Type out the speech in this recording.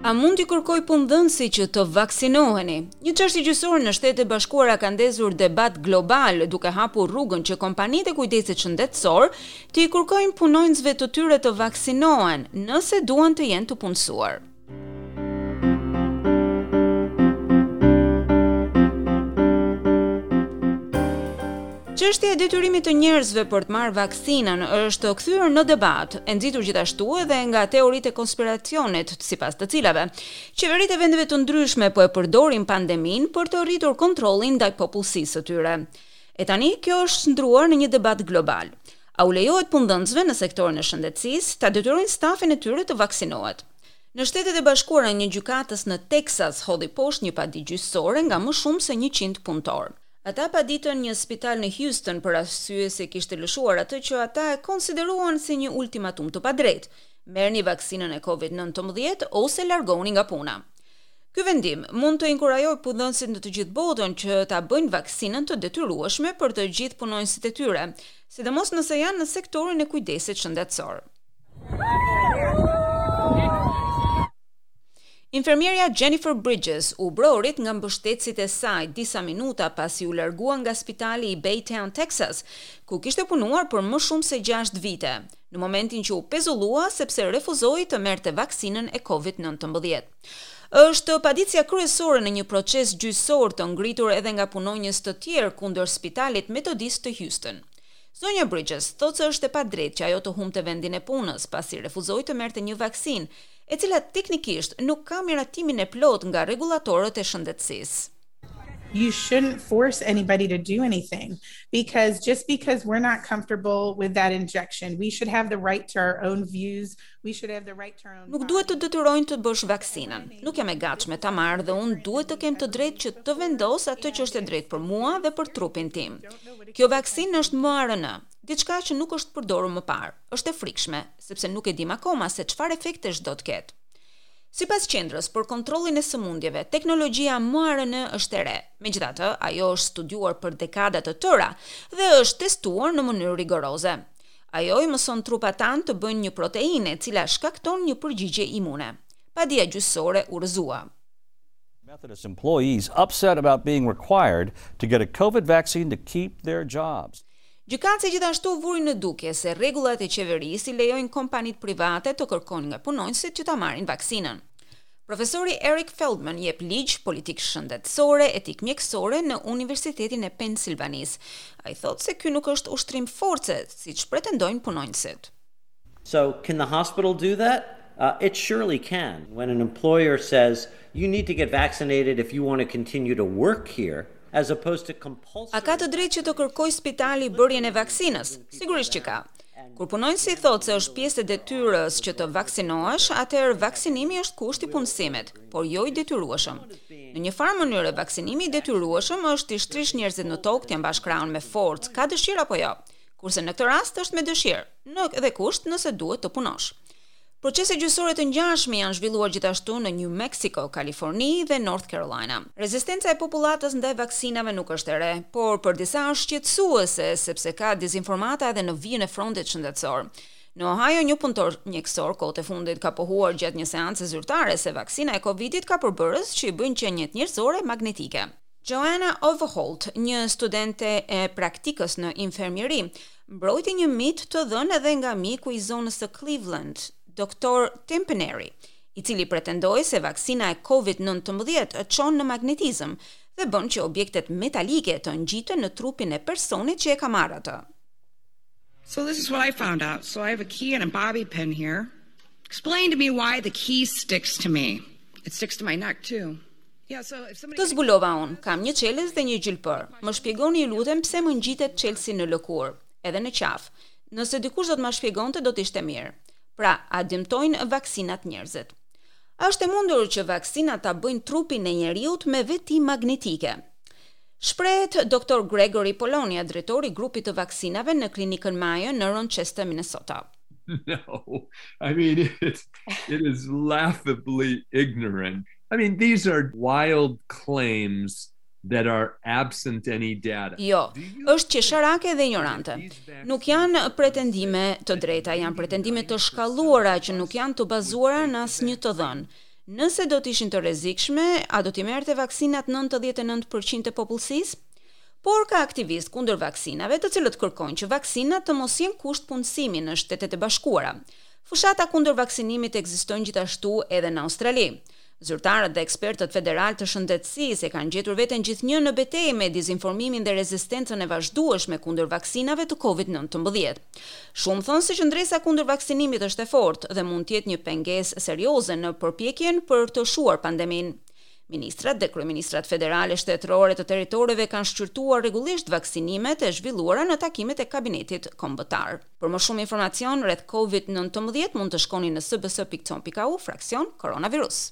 A mund t'i kërkojë punëdhënësi që të vaksinoheni? Një çështje gjyqësore në Shtetet e Bashkuara ka ndezur debat global, duke hapur rrugën që kompanitë e kujdesit shëndetësor t'i kërkojnë punonjësve të tyre të vaksinohen, nëse duan të jenë të punësuar. Çështja e detyrimit të njerëzve për të marrë vaksinën është kthyer në debat, e nxitur gjithashtu edhe nga teoritë e konspiracionit, sipas të cilave qeveritë e vendeve të ndryshme po e përdorin pandeminë për të rritur kontrollin ndaj popullsisë së tyre. E tani kjo është shndërruar në një debat global. A u lejohet punëdhënësve në sektorin e shëndetësisë ta detyrojnë stafin e tyre të vaksinohet? Në Shtetet e Bashkuara, një gjykatës në Teksas hodhi poshtë një padi gjyqësore nga më shumë se 100 punëtorë. Ata paditën një spital në Houston për arsye se kishte lëshuar atë që ata e konsideruan si një ultimatum të padrejtë, merrni vaksinën e Covid-19 ose largohuni nga puna. Ky vendim mund të inkurajojë punëdhënësit në të gjithë botën që ta bëjnë vaksinën të detyrueshme për të gjithë punonjësit e tyre, sidomos nëse janë në sektorin e kujdesit shëndetësor. Infermierja Jennifer Bridges u brohorit nga mbështetësit e saj disa minuta pasi u largua nga spitali i Baytown, Texas, ku kishte punuar për më shumë se 6 vite, në momentin që u pezullua sepse refuzoi të merrte vaksinën e COVID-19. Është paditësja kryesore në një proces gjyqësor të ngritur edhe nga punonjës të tjerë kundër spitalit metodist të Houston. Zonja Bridges thotë se është e padrejtë që ajo të humbte vendin e punës, pasi refuzoi të merrte një vaksinë, e cila teknikisht nuk ka miratimin e plotë nga rregullatorët e shëndetësisë. You shouldn't force anybody to do anything because just because we're not comfortable with that injection, we should have the right to our own views, we should have the right to our own Nuk duhet të detyrojnë të bësh vaksinën. Nuk jam e gatshme ta marr dhe unë duhet të kem të drejtë që të vendos atë që është e drejtë për mua dhe për trupin tim. Kjo vaksinë është mRNA, diçka që nuk është përdorur më parë. Është e frikshme, sepse nuk e dim akoma se çfarë efektesh do të ketë. Sipas Qendrës për Kontrollin e Sëmundjeve, teknologjia mRNA është e re. Megjithatë, ajo është studiuar për dekada të tëra dhe është testuar në mënyrë rigoroze. Ajo i mëson trupat tanë të bëjnë një proteinë e cila shkakton një përgjigje imune. Padia gjyqësore u rrëzua. Methodist employees upset about being required to get a COVID vaccine to keep their jobs. Gjykatësi gjithashtu vuri në dukje se rregullat e qeverisë i lejojnë kompanitë private të kërkojnë nga punonjësit që ta marrin vaksinën. Profesori Eric Feldman jep ligj, politikë shëndetësore, etikë mjekësore në Universitetin e Pensilvanisë. Ai thotë se ky nuk është ushtrim force, siç pretendojnë punonjësit. So, can the hospital do that? Uh, it surely can. When an employer says, you need to get vaccinated if you want to continue to work here, as opposed to compulsory... A ka të drejtë që të kërkojë spitali bërjen e vaksinës? Sigurisht që ka. Kur punonjësi thotë se është pjesë e detyrës që të vaksinohesh, atëherë vaksinimi është kusht i punësimit, por jo i detyrueshëm. Në një farë mënyre vaksinimi i detyrueshëm është t'i shtrish njerëzit në tokë, t'ia mbash krahun me forcë, ka dëshirë apo jo. Kurse në këtë rast është me dëshirë, në dhe kusht nëse duhet të punosh. Procese gjyqësore të ngjashme janë zhvilluar gjithashtu në New Mexico, Kaliforni dhe North Carolina. Rezistenca e popullatës ndaj vaksinave nuk është e re, por për disa është shqetësuese sepse ka dezinformata edhe në vijën e frontit shëndetësor. Në Ohio, një punëtor mjekësor kohët e fundit ka pohuar gjatë një seance zyrtare se vaksina e Covidit ka përbërës që i bëjnë qeniet njerëzore magnetike. Joanna Overholt, një studente e praktikës në infermieri, mbrojti një mit të dhënë edhe nga mjeku i zonës së Cleveland, Dr. Tim Paneri, i cili pretendoi se vaksina e COVID-19 çon në magnetizëm dhe bën që objektet metalike të ngjiten në trupin e personit që e ka marrë atë. So this is what I found out. So I have a key and a bobby pin here. Explain to me why the key sticks to me. It sticks to my neck too. Këtë zbulova unë, kam një çelës dhe një gjilpërë. Më shpjegoni ju lutem pse më ngjitet çelësi në lëkurë, edhe në qafë. Nëse dikush do të ma shpjegonte do të ishte mirë. Pra, a dëmtojnë vaksinat njerëzit? A është e mundur që vaksinat ta bëjnë trupin e njeriut me veti magnetike? Shprehet Dr. Gregory Polonia, drejtori i grupit të vaksinave në klinikën Mayo në Rochester, Minnesota. No, I mean it's it is laughably ignorant. I mean these are wild claims that are absent any data. Jo, është qesharake dhe ignorante. Nuk janë pretendime të drejta, janë pretendime të shkalluara që nuk janë të bazuara në asnjë të dhënë. Nëse do të ishin të rrezikshme, a do t'i merrte vaksinat 99% e popullsisë? Por ka aktivistë kundër vaksinave, të cilët kërkojnë që vaksinat të mos jenë kusht punësimi në Shtetet e Bashkuara. Fushata kundër vaksinimit ekzistojnë gjithashtu edhe në Australi. Zyrtarët dhe ekspertët federal të shëndetësisë e kanë gjetur veten gjithnjë në betejë me dezinformimin dhe rezistencën e vazhdueshme kundër vaksinave të COVID-19. Shumë thonë se qëndresa kundër vaksinimit është e fortë dhe mund të jetë një pengesë serioze në përpjekjen për të shuar pandeminë. Ministrat dhe kryeministrat federale shtetërore të territoreve kanë shqyrtuar rregullisht vaksinimet e zhvilluara në takimet e kabinetit kombëtar. Për më shumë informacion rreth COVID-19 mund të shkoni në sbs.com.au fraksion koronavirus.